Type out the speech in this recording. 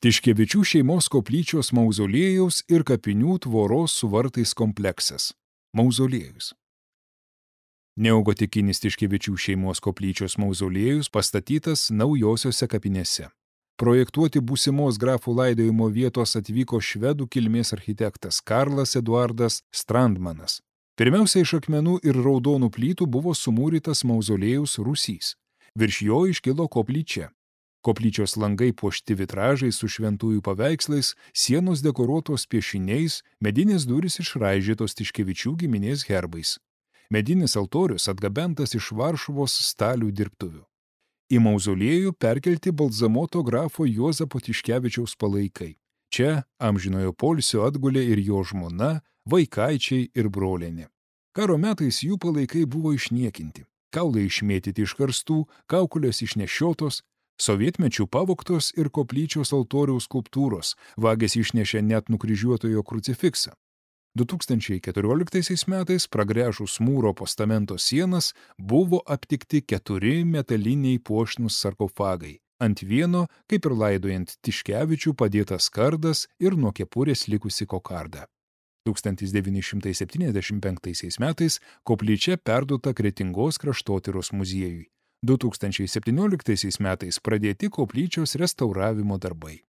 Tiškevičių šeimos koplyčios mauzoliejaus ir kapinių tvoros su vartais kompleksas. Mauzoliejus. Neogotikinis Tiškevičių šeimos koplyčios mauzoliejus pastatytas Naujosiose kapinėse. Projektuoti būsimos grafų laidojimo vietos atvyko švedų kilmės architektas Karlas Eduardas Strandmanas. Pirmiausia, iš akmenų ir raudonų plytų buvo sumūrytas mauzoliejus rūsys. Virš jo iškilo koplyčia. Koplyčios langai puošti vitražai su šventųjų paveikslais, sienos dekoruotos piešiniais, medinės durys išraižytos Tiškevičių giminės herbais. Medinis altorius atgabentas iš Varšuvos stalių dirbtuvių. Į mauzoliejų perkelti balzamuoto grafo Juozapo Tiškevičiaus palaikai. Čia amžinojo poilsio atgulė ir jo žmona, vaikaičiai ir brolienė. Karo metais jų palaikai buvo išniekinti. Kaulai išmėtyti iš karstų, kaukolės išnešiotos, sovietmečių pavogtos ir koplyčios altoriaus skulptūros, vagės išnešė net nukryžiuotojo krucifiksą. 2014 metais pragręžus mūro postamento sienas buvo aptikti 4 metaliniai puošnūs sarkofagai. Ant vieno, kaip ir laidojant Tiškevičių, padėtas kardas ir nuo kepurės likusi kokarda. 1975 metais koplyčia perduota Kretingos kraštotyros muziejui. 2017 metais pradėti koplyčios restauravimo darbai.